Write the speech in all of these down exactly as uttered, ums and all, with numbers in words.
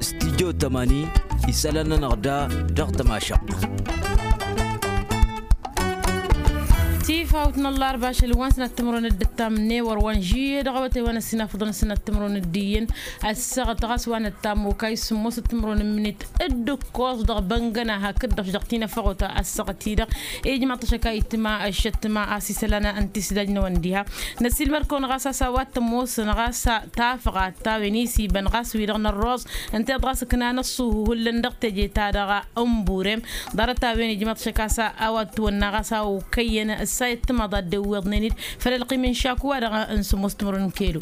Stidyo tămani isălan-nănăɣ da dăɣ-tămašăɣt. Tifawt n-ăllarba ašăl wa n-sănat timǝrwen d-ǝttam n-ewăr wa n-žiyye dăɣ-awătay wa n-ăssinafăḍăn sănat timǝrwen d-iyyăn. Ăssaɣăt ɣas wa n-ăttam okay sǝmmosăt timǝrwen n-imǝnit d-ǝkkoẓ dăɣ-băngăna hakd-dăɣ dăɣ-tinăfăɣot. Ăssaɣăt-i-dăɣ ijmaḍ-t ašăk a itma ăššăt tma a-s isălan n-tisdaj-năwăn diha. Năsilmăr-kăwăn ɣas a-s a-wa t-ămoosăn ɣas tafăɣat ta-wen isibăn ɣas wi-dăɣ n-ărroẓ ǝnta iḍ ɣas ǝknan ăṣṣuhu hullan dăɣ-teje-ta-dăɣ n-burem. Ḍarăt-a-wen ijmaḍ-t ašăk a-s a-wa t-wănna ɣas a okăyyăn ǝssa i-ăttămaḍ a dd-ewweḍnen-dd făll-ălqim n-šaku-wa-dăɣ n-sǝmmos timǝrwen n-kelo.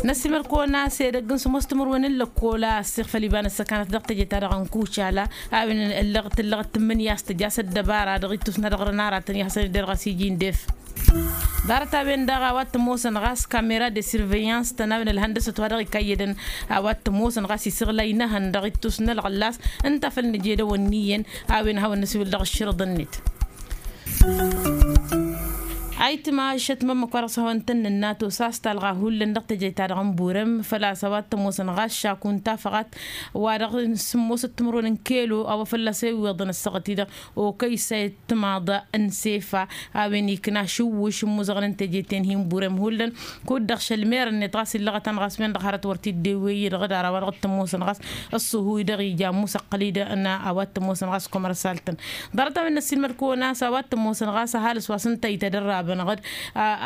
Năsimăr-kăwăn a-s edăgg n-sǝmmos timǝrwen n-lăkkol a ăssiɣfăl iba n-ăssăkanăt dăɣ-teje-ta-dăɣ n-kucala a-wen ǝllăɣ tǝllăɣ tǝmmǝnǝya a-s tǝja s-ăddăbara dăɣ-ittus-nănăɣ dăɣ-nara tăn-ihăsăn-dd dăɣ-s iji n-def. Ḍarăt-a-wen-dăɣ a-wa t-ămoosăn ɣas kamera de surveillance-tăn a-wen ălhăndăsăt wa dăɣ-ikayyădăn a-wa t-ămoosăn ɣas isǝɣlay n-ehăn dăɣ-ittus n-ălɣăllas ǝnta făl nǝj'-edăwăn n-iyyăn. A-wen a hawăn-năsiwǝl dăɣ-ǝššărǝḍ-net. Ayǝtma ǝššăt mămmăk wa dăɣ-s hawăn-tăn-nǝnnatos a-s talɣa hullan dăɣ-teje-ta-dăɣ n-burăm făl-a-s a-wa t-ămoosăn ɣas šaku n-tafăɣat wa dăɣ-sǝmmosăt timǝrwen n-kelo a-wa fălla-s ewweḍăn ăssaɣăt-i-dăɣ okăy s-a i-ăttămaḍ n-sefa. A-wen ikna šǝwwǝš n-imuzăɣăn n-teje-ten-hi n-burăm hullan. Kud-dăɣ šălmer-net ɣas illăɣăt-anăɣ a-s wen-dăɣ hărăt wăr t-dd-ewwey-i dăɣ-dd-ara wa dăɣ-t-ămoosăn ɣas ăṣṣuhu-i-dăɣ ija ămuus ăqqăl-i-dăɣ n-a-wa t-ămoosăn ɣas kămăr-ăsaltăn. Ḍarăt-a-wen n-ăssiilmăd-kăwăn a-s a-wa t-ămoosăn ɣas ăhalǝs wa s-ǝnta itădărrabănăɣ-dd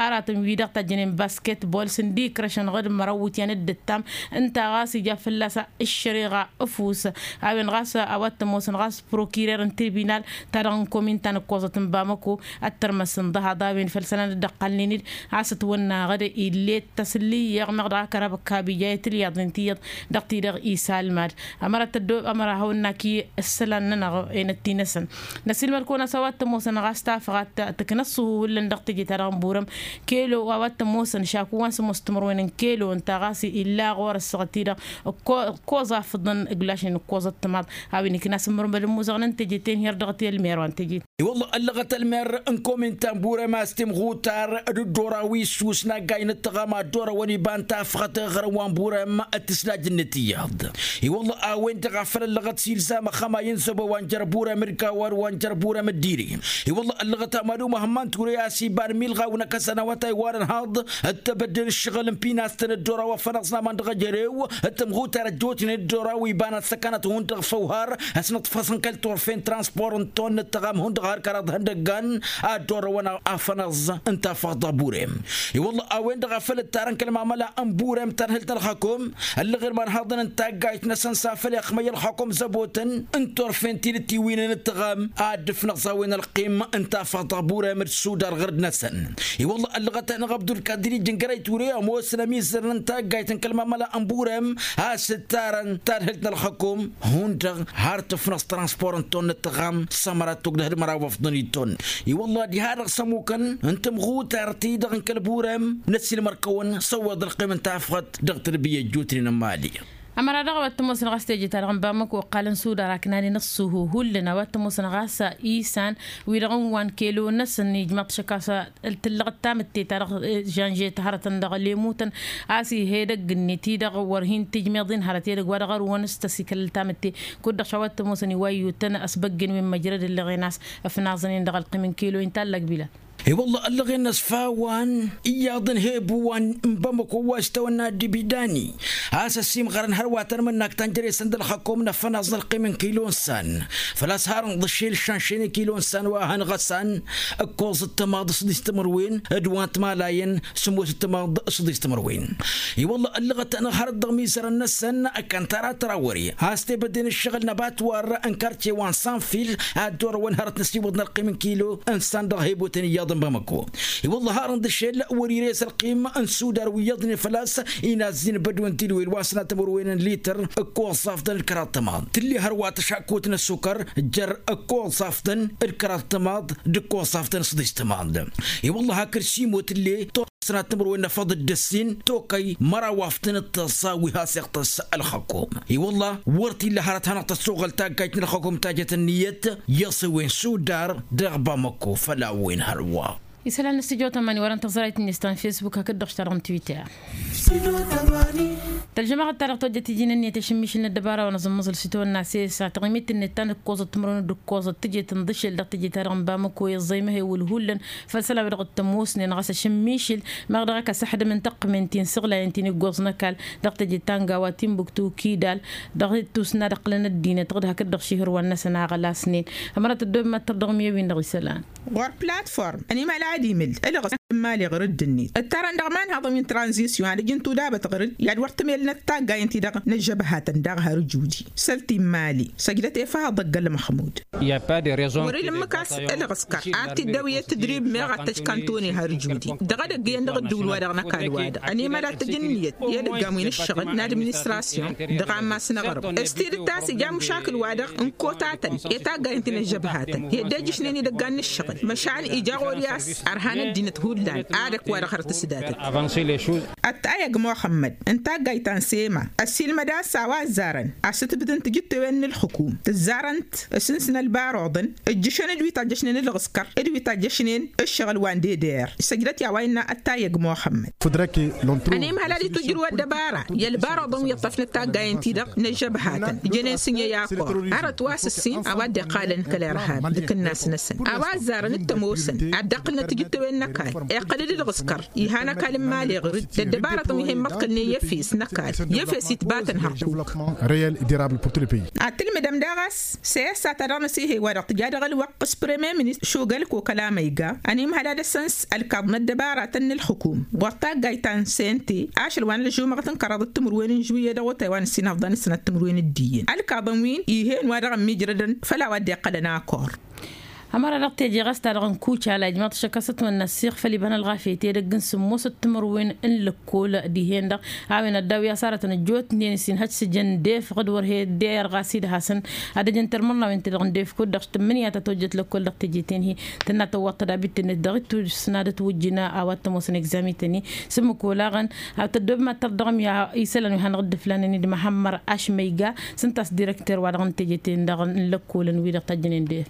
aratăn-wi-dăɣ tajjănen basket bol s-ǝndikrăšănăɣ-dd măraw iwǝtyan dd-ǝttam. Ǝnta ɣas ija fălla-s ǝššăreɣa ăfuss. A-wen ɣas a-wa t-ămoosăn ɣas prokirer n-tribinal ta dăɣ-n komin ta n-ǝkkoẓăt n-bamăko ăttărmăsăn dăhaḍ a-wen făll-isălan dd-ăqqalnen-dd a-s ătwănnaɣ-dd ill'-e d-tasǝllǝyyeɣ meɣ dăɣ-akăra băkka bija i-tǝlyaḍnen tiyyăḍ dăɣ-ti-dăɣ isalmad. Ămăra tăddo ămăra hawăn-nak i-isălan-nănăɣ enăt ti-năsăn. Năsilmăd-kăwăn a-s a-wa t-ămoosăn ɣas tafăɣat tǝknăs s-uhu hullan dăɣ-teje-ta-dăɣ n-burăm kelo a-wa t-ămoosăn šaku wa n-sămoos timǝrwen n-kelo ǝnta ɣas illa ɣur-ăssaɣăt-i-dăɣ ǝkkoẓ afǝḍăn ǝglašnen ǝkkoẓăt tămaḍ. A-wen ikna s-ǝmmărmăd ămmuzăɣăn n-teje-ten her-dăɣ ti-ălmer wa n-teje. I-wălla ăllăɣăt ălmer n-komin ta n-burăm a-s timɣutar d-dd-oraw issus n-aggay n-ǝttăɣam a dd-orăwăn iba n-tafăɣăt ɣărăn wa n-burăm d-tǝsnajǝn n-tiyyăḍ. I-wălla a-wen-dăɣ a făl ăllăɣăt s-ilzam ăxxămay n-zăbo wa n-jer-burăm d-gawad wa n-jer-burăm d-iri. I-wălla ăllăɣăt amadu măhămman ture a-s iba n-milɣaw n-akăsăn awătay wa n-ănhaḍ d-tebădde n-ǝššăɣǝl n-pinastăn dd-oraw afănăɣ s-naman dăɣ-ejărew d-timɣutar ăjjootnen dd-oraw iba n-ăssăkanăt hundăɣ făw har ăsnăḍfăsăn kăl-turfen transpor n-ton n-ǝttăɣam hundăɣ har kăraḍ ihăndăggan a dd-orăwăn afănăẓ n-tafăɣt dăɣ-burem. I-wălla a-wen-dăɣ a făl ǝttarăn kăl-mamăla n-burem tărhǝlt n-ălxakum ăllăɣen ma n-haḍăn n-taggayt-năsăn s-afăl i-ăxmăy ălxakum zăbotăn n-turfen ti n-ǝttiwǝynen ǝttăɣam a dd-ǝfnăẓ a-wen ălqim n-tafăɣt dăɣ-burem d-sudar ɣǝrd-năsăn. I-wălla ăllăɣăt-anăɣ abdulkadir ijǝngărăy ture ămoosăn ămizărăn n-taggayt n-kăl-mamăla n-burem a-s ǝttarăn tadhǝlt n-ălxakum hundăɣ har tǝfnăẓ transpor n-ton n-ǝttăɣam s-ămăra tugdăh d-măraw ăfḍăn i-ton. I-wălla diha-dăɣ s-ămukăn n-tǝmɣutar-ti-dăɣ n-kăl-burem n-ăssiilmăr-kăwăn s-ăwweḍ ălqim n-tafɣăt dăɣ-tǝrbǝyya ăjjootnen n-imali. Ămăra daɣ a-wa t-ămoosăn ɣas teje-ta-dăɣ n-bamăko ăqqalăn sudar a ǝknanen ăṣṣuhu hullan a-wa t-ămoosăn ɣas isan wi-dăɣ n-wa n-kelo-năsăn ijmaḍ-t šăkk a-s tǝllăɣ d-tamǝtte-ta-dăɣ žănžet hărătăn dăɣ-lemutăn a-s ih' edăgg-net-i-dăɣ wăr hin-tǝjmeḍ-in hărăt edăgg wa dăɣ-ărwăn s-tăsikăl tamǝtte. Kud-dăɣ šawa t-ămoosăn iwayyutăn ăsbăggen wi n-măjrăd ǝlleɣen a-s ǝfnaẓăn-in dăɣ-ălqim n-kelo-in tallăg bila. I-wălla ăllăɣen-năs fawwan iyyăḍ n-hebu wa n-bamăko wa s-tawănna d-ibidani a-s ăsimɣărăn hărwa tărmǝnnak ta n-jere-săn d-ălxăkom n-afănaẓ n-ălqim n-kilo n-san. Făl-a-s harăn ḍǝššel šanšen i-kilo n-san wa hăn ɣăsan ǝkkoẓ d-tămaḍ s-dd-istămărwen d-wa n-timalayăn sǝmmos d-tămaḍ s-dd-istămărwen. I-wălla ăllăɣăt-anăɣ hărăt dăɣ-mizărăn-năsăn ăkkan tara tărawăre a-s tebădden ǝššăɣǝl n-abatwar n-karce wa n-sanfil a dd-orăwăn hărăt n-asiwǝḍ n-ălqim n-kilo n-san dăɣ-hebotăn iyyăḍ n-bamăko. I-wălla harăn d-ašel wăr-ires ălqim n-sudar wi iyyăḍnen făl-a-s inazzin bădwen tilwel wa n-sănatăm wăr-wen n-lităr ǝkkoẓ s-afḍăn d-kăraḍ tămaḍ tǝlle hărwa tăšakkut n-ăssukăr jer-ǝkkoẓ s-afḍăn d-kăraḍ tămaḍ d-ǝkkoẓ s-afḍăn s-ḍis tămaḍ. I-wălla hakd simo tǝlle toɣ s-sănatăm wăr-wen n-afăḍ d-ăssin tokăy măraw afḍăn d-tăẓẓa wi has-iɣtăs ălxăkom. I-wălla wăr t-illa hărăt hanăɣ-tăssoɣăl taggajt n-ălxăkom tajăt ǝnniyăt i-aṣewen sudar dăɣ-bamăko făll-a-wen hărwa. Isălan n-ăstijotămani wărăn tăẓrayt-net ta n-fesbuk hakd-dăɣ s-ta-dăɣ n-twitter. Tălžămaɣăt-ta-dăɣ tojjăt iji n-ǝnniyăt ašǝmmišǝl n-ăddăbara wa n-aẓǝmmăẓǝl s-itawănna sesa taɣimit-net ta n-ǝkkoẓăt timǝrwen d-ǝkkoẓăt tǝjet n-dăšel dăɣ-tǝjet-ta-dăɣ n-bamăko i-ăẓẓăymăhewǝl hullan. Făll-isălan-wi-dăɣ t-ămoosnen ɣas ašǝmmišǝl meɣ dăɣ-ăkk asăxdăm n-taqqǝmen ti n-isǝɣlayen ti n-iggoẓ n-ăkall dăɣ-teje ta n-gawa timbuktu kidal. Dăɣ-tusna d-ăqqǝlăn ăddinăt ɣǝd hakd-dăɣ šihǝrwan-năsăn a ɣălasnen. Ămăra tăddob mad-tărdăɣ miyyăwin dăɣ-isălan. Ɣur-platform ănimăla ad-imǝl ǝlɣǝs n-mali ɣur-dd-net ǝttarăn dăɣ-imanhaḍăn wi n-tranzisyon ad-ǝjǝn tudabăt ɣur-dd i-ad-wăr tǝmellăt taggayen-ti-dăɣ n-ăžžăbhatăn daɣ har ǝjudi. Săl-ti n-mali săjdăt efăhăḍ ăgg-ălmăxmud. Wăr-ila ǝmmǝk a-s ǝlɣǝskăr ad-t-dd-ăwǝy i-tǝdrib meɣ ad-t-ăj kantone har ǝjudi. Dăɣ-edăgg iyyăn dăɣ-ǝddǝwǝl-wa-dăɣ n-ăkall-wa-dăɣ ănimăla ad-tǝj ǝnniyăt i-edăggan wi n-ǝššăɣǝl n-administrasyon dăɣ-ammas n-aɣrǝm s-tidǝt a-s ija mušakǝl-wa-dăɣ n-kotatăn i-taggayen ti n-ăžžăbhatăn i-dd-ejǝšnen idăggan n-ǝššăɣǝl. Măšan ija ɣur-i a-s ărhan ăddinăt hullan. Ad-ăkk wa-dăɣ hărăt s-datăt. Ăttayăg muxămmăd n-taggayt ta n-sema ăssiilmăd a-s a-wa ăzzarăn asǝtbǝt n-tijǝttewen n-ǝlxǝkum tǝzzarăn-t s-ǝnsǝn ălbaruḍăn ǝjjǝšăn d-wi tajjăšnen ǝlɣǝskăr d-wi tajjăšnen ǝššăɣǝl wa n-deder. Săjdăt i-a-wa innă ăttayăg muxămmăd. Ănimhăl ad-itwǝjrǝw ăddăbara i-ălbaruḍăn wi ǝṭṭăfnăt taggayen-ti-dăɣ n-ăžžăbhatăn jănen s-inyăy akor. Arăt wa s-ǝssin a-wa dd-iqqalăn kăl-irhab d-akǝnnas-năsăn a-wa ăzzarăn d-tămoosăn ad-dd-ăqqǝlnăt tijǝttewen n-ăkall iqqăl-dd ǝlɣǝskăr. Ihăn ăkall n-imali ɣǝr-dd ăddăbarătăn wi hen-măḍkălnen i-efes n-ăkall i-efes itbatăn hărkuk. Ad-tǝlmǝdăm daɣ a-s seyăssa ta dăɣ-năsihe wa dăɣ-tǝja dăɣ-ălwăqq s-premier ministăr šugălko kăla măyga ănimhăl ad-dăr-săn s-ălkaḍ n-ăddăbaratăn n-ălxukum ɣur-taggayt ta n-sente. Ašăl wa n-ălžumăɣăt n-kăraḍăt timǝrwen n-žuyyăt dăɣ-otay wa n-ǝssin ăfḍan s-sănăt timǝrwen d-iyyăn ălkaḍăn wi n-ihen wa dăɣ-ămmiijrădăn făll-a-wa dd-iqqălăn akor. Ămăra dăɣ-teje ɣas ta-dăɣ n-kucala ijmaḍ ašăk a-s ătwănna ăssiɣ făll-iba n-ălɣafyăt edăgg n-sǝmmosăt timǝrwen n-lăkkol dihen-dăɣ. A-wen ăddaw i-asarătăn ăjjootnen s-inhăj s-ǝjăn def ɣǝd wăr he-dd-eyăr ɣas idhasăn ad-ăjăn tărmărnawen-ti-dăɣ n-def kud-dăɣ s-tǝmmǝnǝya ta tojjăt lăkkol dăɣ-teje-ten-hi. Tǝnna tăwwăḍ tădabit-net dăɣ-ittus n-ad-ătwǝjjǝn a-wa t-ămoosăn egzami-tăn-hi s-ǝmmǝk olaɣăn. Ad-tăddob mad-tăr dăɣ-mi isălan wi hanăɣ-dd-ǝflanen-dd măhămmăr ašmăyga s-ǝnta a-s direkter-wa-dăɣ n-teje-ten-dăɣ n-lăkkolăn wi-dăɣ tajjănen def.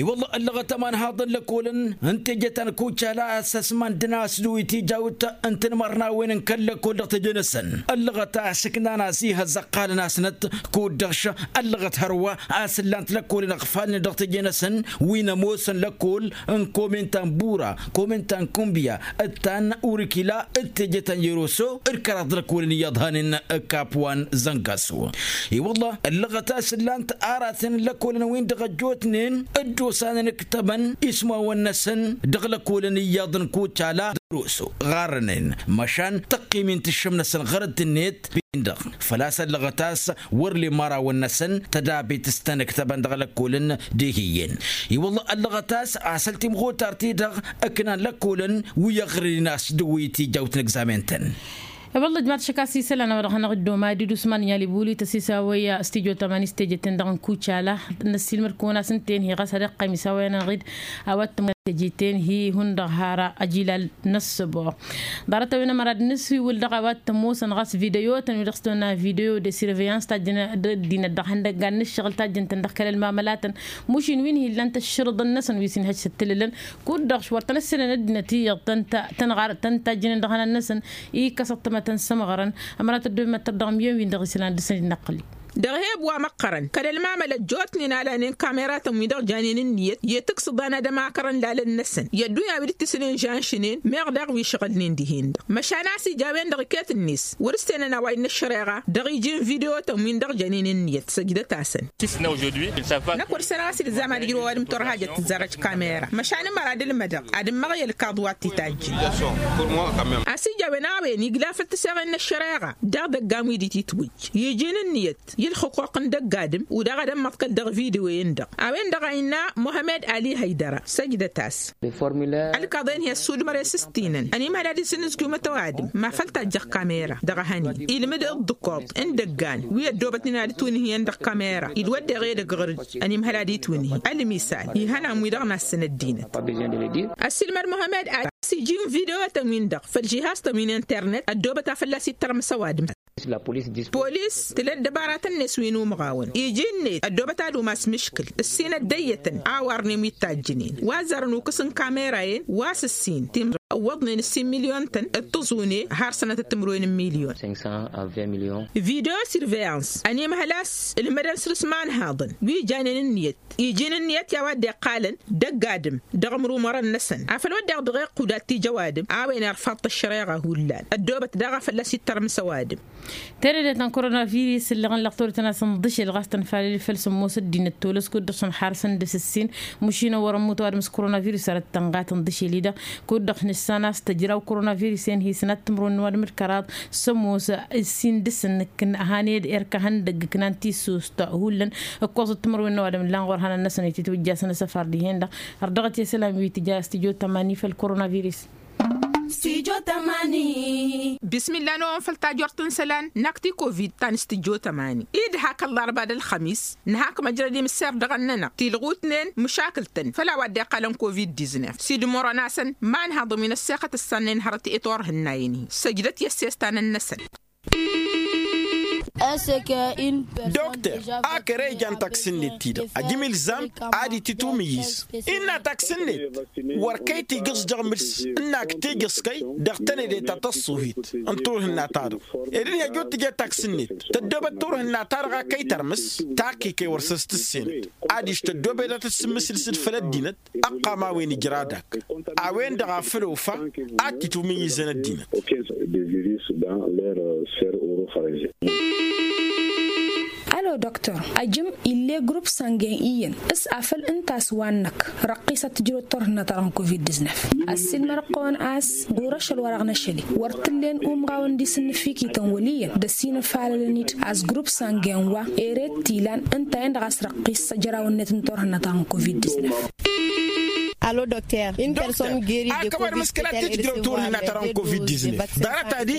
I-wălla ăllăɣăt ămanhaḍ n-lăkkolăn n-teje ta n-kucala a-s ăsmandăn a-s dăɣ-wi tijawt n-tinmărnawen n-kăl-lăkkol dăɣ-teje-năsăn. Ăllăɣăt a-s ǝknan a-s ihăzzăɣ qalăn-asnăt kud-dăɣ š-ăllăɣăt hărwa a-s ǝllan-t lăkkolăn ăɣfalnen dăɣ-teje-năsăn wi n-ămoosăn lăkkol n-komen ta n-bura komen ta n-kumbǝya d-ta n-urǝkila d-teje ta n-yăroso d-kăraḍ lăkkolăn iyyăḍ hanen. Kap wa n-zăngaso i-wălla ăllăɣăt a-s ǝllan-t aratăn n-lăkkolăn-win-dăɣ ăjjootnen dd-osanăn ǝktăbăn ismawăn-năsăn dăɣ-lăkkolăn iyyăḍ n-kucala d-roso ɣarrănen măšan tăqqim-in tǝššǝm-năsăn ɣărăt-net. Bin-dăɣ făl-a-s ăllăɣăt a-s wăr lemmarawăn-năsăn tădabit s-tăn-ǝktăbăn dăɣ-lăkkolăn. D-ehiyyen i-wălla ăllăɣăt a-s asăl timɣutar-ti-dăɣ ǝknan lăkkolăn wi ăɣrǝyăn a-s dăɣ-wi tijawt n-egzamen-tăn. I-wălla ǝjmaḍ ašăk a-s isălan a-wa-dăɣ hanăɣ-dd-omadi d-usman inyal ibuli tăsisawăy s-tijo tămani s-teje-ten-dăɣ n-kucala. Năssiilmăd-kăwăn a-s ǝnta-en hi-ɣas ad-iqqăym isawăyăn-aɣ-dd a-wa t-tămani teje-ten-hi hundăɣ har ajilal n-ăssăbuɣ. Ḍarăt-a-wen ămăra d-nǝswiwǝl dăɣ-a-wa t-ămoosăn ɣas video-tăn wi-dăɣ s-tăwănna video de surveillance tajjăn ăddinăt dăɣ-ihăndăggan n-ǝššăɣǝl tajjăn-tăn dăɣ-kăl-ălmamălatăn. Mušin wi n-hi-illan tăššărǝḍăn-năsăn wi s-inhăj s-ǝttǝlǝlăn kud-dăɣ wăr tăn-ăssinăn ăddinăt iyyăḍ tăn-tajjǝnen dăɣ-ihănan-năsăn. Ikkăsăt tămătăn s-ămɣărăn. Ămăra tăddob mad-tărdăɣ miyyăn-win-dăɣ isălan dăr-săn dd-năqqǝli. Dăɣ-eheb wa măqqărăn kăl-ălmamăl ăjjootnen a lanen kameratăn-wi-dăɣ janen ǝnniyăt i-tǝksǝḍan ad-ămakărăn lalăn-năsăn i-ăddunya wi dd-tǝsǝnen žanšnen meɣ daɣ wi ǝšɣǝlnen dihen-dăɣ măšan a-s ija a-wen-dăɣ iket-net wăr-ǝssenăn a-wa innă ăššăreɣa. Dăɣ-iji n-video-tăn-win-dăɣ janen ǝnniyăt săjdăt-asăn. Năkk wăr-ǝssenăɣ a-s dd-ǝzzam ad-ǝjrǝw ăwadǝm turhajăt tǝzzarăj kamera măšan ǝmăra ad-ǝlmădăɣ ad-ǝmmăɣ i-ălkaḍ wa t-itajjǝn. A-s ija a-wen a-wen igla făll-tǝseɣen n-ăššăreɣa dăɣ-idăggan wi dd-titwǝjj iji n-ǝnniyăt i-ǝlxǝquq n-dăgg-adǝm. Wi daɣ ad-ămmăḍkăl dăɣ-video-en-dăɣ a-wen-dăɣ a innă muhămed ali hăydăra săjdăt-as. Ălkaḍen-hi ăssudmăr-e s-ǝstinăn ănimhăl ad-isǝnnǝzkiwmăt ăwadǝm ma făl tajjăɣ kamera dăɣ-ehăn-in ilmǝd ǝḍḍǝkuḍ n-idăggan wi ăddoobătnen ad-ǝtwǝnhǝyăn dăɣ-kamera. Idwăddeɣ edăgg ɣur-dd ănimhăl ad-itwǝnhǝy ălmisal ihănan-wi-dăɣ n-assăn ăddinăt. Ăssiilmăd muhămed ad-s iji n-video-tăn-win-dăɣ făll-žihaz-tăn wi n-internet ăddoobăt a fălla-s ittărmǝs ăwadǝm. Polis tǝla ăddăbaratăn-net wi n-umɣawăn iji-net ăddoobăt ad-umas mǝškǝl ǝssin ăddăyyătăn a warnem wi t-tajjǝnen wa ăzzarăn ukǝs n-kamera-en wa s-ǝssin timǝrwen ăwwăḍnen ǝssin milyon-tăn d-tǝẓune har sănătăt timǝrwen n-milyon. Video surveillance ănimhăl a-s ǝlmădăn săr-s imanhaḍăn wi janen ǝnniyăt iji n-ǝnniyăt i-a-wa dd-iqqalăn dăgg-adǝm dăɣ-imrumărăn-năsăn afăl wădden dăɣ-iqqud ad-t-ija ăwadǝm a-wen irfaḍ-t ăššăreɣa hullan ăddoobăt daɣ a fălla-s ittărmǝs ăwadǝm. Tenăde ta n-koronavirus ǝlleɣ ǝnlăɣ tolătăn a-s ǝnḍǝšel ɣas tănfalăl făll-sǝmmos ăddinăt tolăs kud-dăɣ-săn har săn d-asǝssin mašin a wărăn mutăwadǝm s-koronavirus a răttănɣa tǝnḍǝšel-i-dăɣ kud-dăɣ nǝssan a-s tăjraw koronavirus-en hi-sănat timǝrwen n-ăwadǝm d-kăraḍ sămmos ǝssin dăr-săn nǝkkǝn ăhaned erk ehăndăgg ǝknan tissust hullan ǝkkoẓăt timǝrwen n-ăwadǝm ǝllan ɣur-hănăn-năsăn ititwǝjjasăn asăfar dihen-dăɣ. Ărdăɣăt i-isălan wi tǝja stujo tămani făll-koronavirus. Stujo tămani. Bismillah n-ewăn făll-tajort n-isălan n-akti covid ta n-stujo tămani-i d-hak ăllarba d-ălxămis nǝhak măjrăd imǝsser dăɣ-ănnănăɣ tilɣutnen măšakǝl-tăn făll-a-wa dd-iqqalăn covid-diznef s-idmurăn-asăn imanhaḍăn wi n-ăssexăt ǝssannen hărăt i-turhǝnnayen-hi săjdăt i-ăssestan-năsăn. Dokter, a kăre ijan taksǝnnet-ti-dăɣ ajǝm ilzam ad-itǝtwǝmǝyyǝz innă taksǝnnet wăr kăy-tigǝẓ dăɣ-mǝls ǝnn-ak tigǝẓ kăy dăɣ-tenăde ta tăṣṣuhit n-turhǝnna-ta-dăɣ ed ǝnhăj wăr tǝja taksǝnnet tăddoobăt turhǝnna-ta-dăɣ a kăy-tărmǝs. Takk-i kăy wăr săs-tǝssenăt adiš tăddoobăt ad-tǝssǝmmǝsǝlsǝd făll-ăddinăt ăqqam a-wen ijra dak a-wen-dăɣ a făl ofa ad-t-itwǝmǝyyǝzăn ăddinăt. Alo doktor, ajǝm ill'-e grup sangin iyyăn s-afăl ǝnta a-s wa-năk răqqisăt tǝjrăwăt turhǝnna-ta-dăɣ n-covid-diznef. Ăssiilmăr-ăɣ-kăwăn a-s ɣur-ašăl wa dăɣ-năšăl-i wăr t-ǝllen umɣawăn d-isǝnnǝfikităn wăl' iyyăn d-ăsinăfalălăn-dd a-s grup sangin wa ere t-ilan ǝnta-en-dăɣ a-s răqqis ăjraw-net n-turhǝnna-ta-dăɣ n-covid-diznef. Alo dokter, a kăwad mǝskǝla tijjrăw turhǝnna-ta-dăɣ n-covid-diznef ḍarăt-adi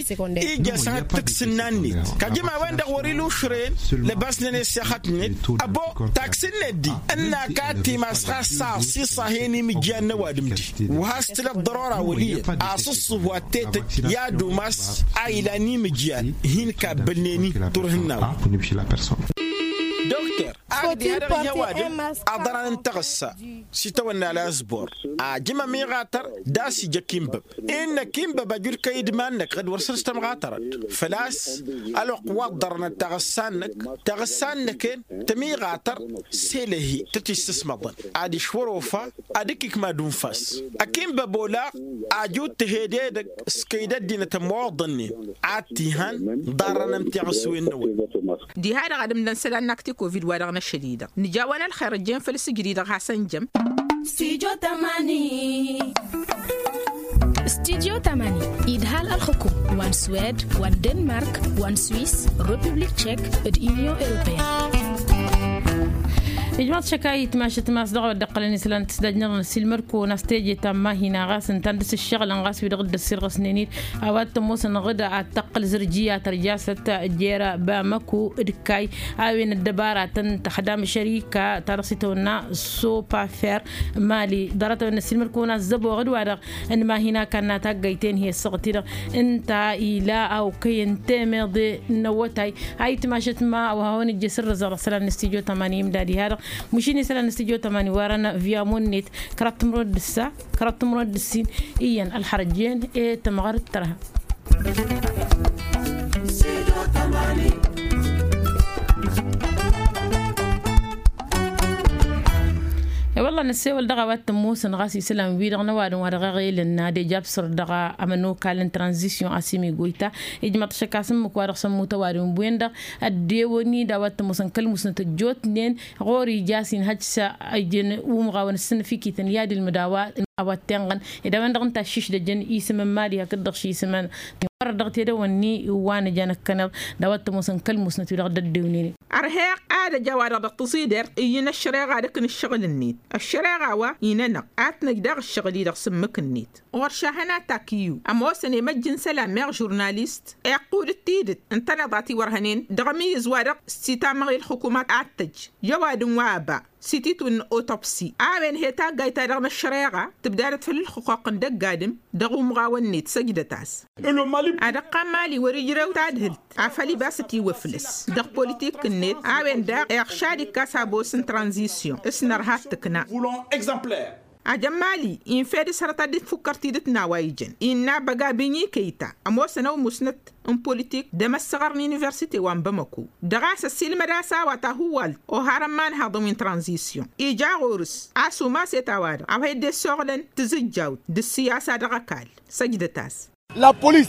ija sănăt tǝksǝnna-net kajǝm a-wen-dăɣ wăr-ila ušrăyăn lăbasnen i-ăssexăt-net. Ăbo taksǝnnet-di ǝnn'-ak ad-timas ɣas s-aṣiṣa hen imǝjjan n-ăwadǝm-di wa has-tǝla ăḍḍărora wăl' iyyăn asǝṣṣuhu ad-tetăjj i-ad-umas a ilan imǝjjan hin-kabbălnen-i turhǝnna-wen. Dokter, ad-dd-iha dăɣ-i ăwadǝm aḍăran n-taɣǝssa s-itawănna lasbor ajǝm ămiɣatăr d-a-s ija kinbăb. Innă kinbăb ăjud kăy-idman-năk ɣǝd wăr săr-s tămɣatărăt făl-a-s ălwăqq wa ǝḍḍărănăt taɣǝssa-năk taɣǝssa-năk-en tămiɣatăr s-elăhi tăt-issǝsmăḍăn adiš wăr-ofa ad-ǝkkǝk mad-unfas. Ăkinbăb olaɣ ajud tăhed edăgg s-kăy-dd-ăddinăt ămmoḍănnen ad-t-ihan ḍarrăn ămtiɣǝswen-năwăn. Diha-dăɣ ad-ǝmdăn isălan n-akti covid wa dăɣ-năšăl-i-dăɣ nǝja-wăn ălxer ăjjeen făll-sǝjdǝy-dăɣ hasăn-jăm. Stujo tămani. Stujo tămani idhal ălxǝkum wa n-swed wa n-denmark wa n-swiss, republik tchek d-union europeen. Ijmaḍ šăkayit mašăt mas dăɣ-a-wa dd-iqqălăn isălan tǝsdajnăḍ n-ăssiilmăr-kăwăn a-s teje ta n-mahina ɣas ǝnta n-dăr-s ǝššăɣǝlăn ɣas wi-dăɣ dd-ăssirɣăsnen-dd a-wa t-ămoosăn ɣǝd ad-tăqqǝl zărjiyya tărjasăt jer-bamăko d-kay a-wen ăddăbaratăn tăxdam šărika ta dăɣ-s itawănna sopafer mali. Ḍarăt-a-wen n-ăssiilmăr-kăwăn a ăzzăbo ɣǝd-wa-dăɣ n-mahina kannat aggăyten hi-ăssăɣăt-i-dăɣ ǝnta ila a okăyăn temeḍe n-awătay. Ayǝtmašăt ma a-wa hawăn-ijje sǝrrǝzăɣ dăɣ-isălan n-stujo tămani imda diha-dăɣ măšin isălan n-stujo tămani wărăn via munnet kăraḍ timǝrwen d-ǝssa kăraḍ timǝrwen d-ǝssin. Iyyăn ălxărăt jen e-tămɣăr d-tărha. E-wălla năssewăl dăɣ-a-wa t-ămoosăn ɣas isălan-wi-dăɣ n-ăwadǝm wa dăɣ-eɣelăn n-ad-ejabsăr dăɣ-amănokal n-tranzisyon asimi goyta. Ijmăḍ šăkk a-s ǝmmǝk wa dăɣ-sămmut ăwadǝm ǝmbuwen-dăɣ ăddewăn-i d-a-wa t-ămoosăn kăl-musnăt ăjjootnen ɣur-i ija a-s inhăj s-ijăn umɣawăn ǝssǝnnǝf-ikităn i-ad-ilmǝd a-wa t-enɣăn. Ed a-wen-dăɣ ǝnta ăššišdăjăn isǝm n-mali hakd-dăɣ ši isǝm n-wăr-dăɣ tedăwănni wa nǝja năkkăneḍ d-a-wa t-ămoosăn kăl-musnăt wi-dăɣ dd-ăddewnen. Ărheɣ ad-ăj a-wa-dăɣ dăɣ-tăẓidert ǝyyǝn ăššăreɣa dăɣ-kăn ǝššăɣǝl-net ăššăreɣa wa inănăɣ ad-t-năj daɣ ǝššăɣǝl-i-dăɣ s-ǝmmǝk-net. Ɣur-šahăn atak iyyǝw ămoosăn emăjj n-isălan meɣ žurnalist iqqud d-tidǝt n-tanăḍat iwărhănen dăɣ-amǝyyǝz-wa-dăɣ s-titamăɣ i-ălxǝkumat ad-tăj i-ăwadǝm wa ăba. s-ititwǝn n-otopsi a-wen he-taggayt-ta-dăɣ n-ăššăreɣa tǝbdadăt făll-ǝlxǝqquqăn d-ăgg-adǝm dăɣ-umɣawăn-net săjdăt-as. Ad-ăqqan mali wăr-ijrew tadhǝlt afăl ibas ătiwăflăs dăɣ-politik-net a-wen daɣ iɣšad ikkas abos n-tranzisyon s-nărha d-tǝkna. Ajăn mali infed s-hărăt ad-dd-tfukkăr tidǝt n-a-wa ijăn innă băga bǝnyi kăyta ămoosăn ăwmusnăt n-politik d-emăssăɣăr n-universite wa n-bamăko dăɣ-a-s ăssiilmăd a-s a-wa tahǝwwalt oharăn ma ănhaḍăn wi n-tranzisyon ija ɣur-s a-s umaset a-wa-dăɣ a-wa hi-dd-essoɣlăn tǝzǝjjawt d-ǝssiyasa dăɣ-ăkall. Săjdăt-as. Polis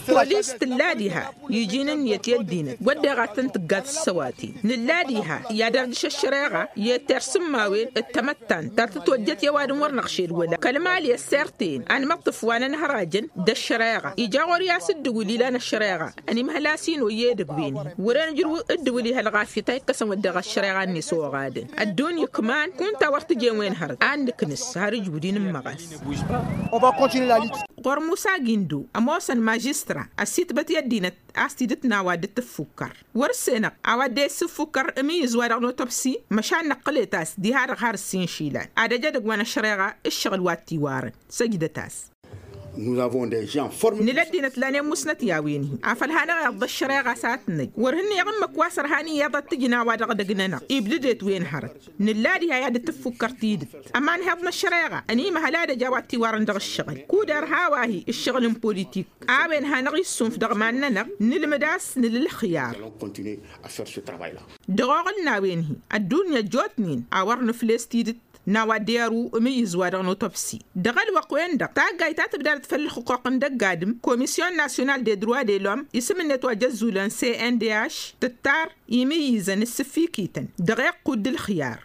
tǝlla diha iji n-ǝnniyăt i-ăddinăt wădden ad-tăn-tǝggat s-săwaten nǝlla diha i-ad-ărdǝš ăššăreɣa i-tersǝmmawen d-tamăttant ta tǝtwăjjăt i-ăwadǝm wăr năɣšed wăla kăl-mali ăssirten anmăṭṭǝf wa n-ănhărajăn d-ăššăreɣa ija ɣur-i a-s ǝddǝwǝl ilan ăššăreɣa ănimhăl-as-in oyyăy edăgg-wen-hi wăren ǝjrǝw ǝddǝwǝl ihăl ɣafyăt a ikkăsăn wădden ăššăreɣa-net oɣadăn ăddunya ǝkman kunta wăr tǝjen wen hărăt ad-nǝknǝs har ǝjbǝd-in n-imăɣas. Ɣur-musa gindo ămoosăn mažistra ăssitbăt i-ăddinăt a-s tidǝt n-a-wa dd-tǝffukkăr wăr-senăɣ a-wa dd-e-issǝffukkăr ǝmǝyyǝz-wa-dăɣ n-otobsi măšan năqqǝlet-as diha-dăɣ har ǝssin išilan ad-ăj edăgg wa n-ăššăreɣa ǝššăɣǝl wa t-iwarăn. Săjdăt-as. Nǝla ăddinăt lan i-ămmusnăt i-a-wen-hi afăl hanăɣ-iyyăḍ d-ăššăreɣa s-ad-t-năj wăr hǝnnǝyăɣ ǝmmǝk wa s-ărhan iyyăḍ ad-t-ǝjǝn a-wa-dăɣ dăgg-nănăɣ ibdǝdet wen hărăt nǝlla diha i-ad-dd-tǝffukkăr tidǝt ămanhăḍ n-ăššăreɣa ănimhăl ad-ăj a-wa t-iwarăn dăɣ-ǝššăɣǝl kud ărha a-wa hi-ǝššăɣǝl n-politik a-wen hanăɣ-issunf dăɣ-iman-nănăɣ nǝlmǝd a-s nǝl-ǝlxǝyar. Dăɣ-oɣǝl n-a-wen-hi ăddunya ăjjootnen a wăr nǝfles tidǝt n-a-wa dd-irǝw ǝmǝyyǝz-wa-dăɣ n-otobsi dăɣ-ălwăqq-wen-dăɣ taggayt ta tǝbdadăt făll-ǝlxǝqquq n-dăgg-adǝm komisyon nasyonal de droit de lom isǝm-net wa jăzzulăn cndh tǝttar imǝyyǝzăn ǝssǝffikităn dăɣ-iqqud d-ǝlxǝyar.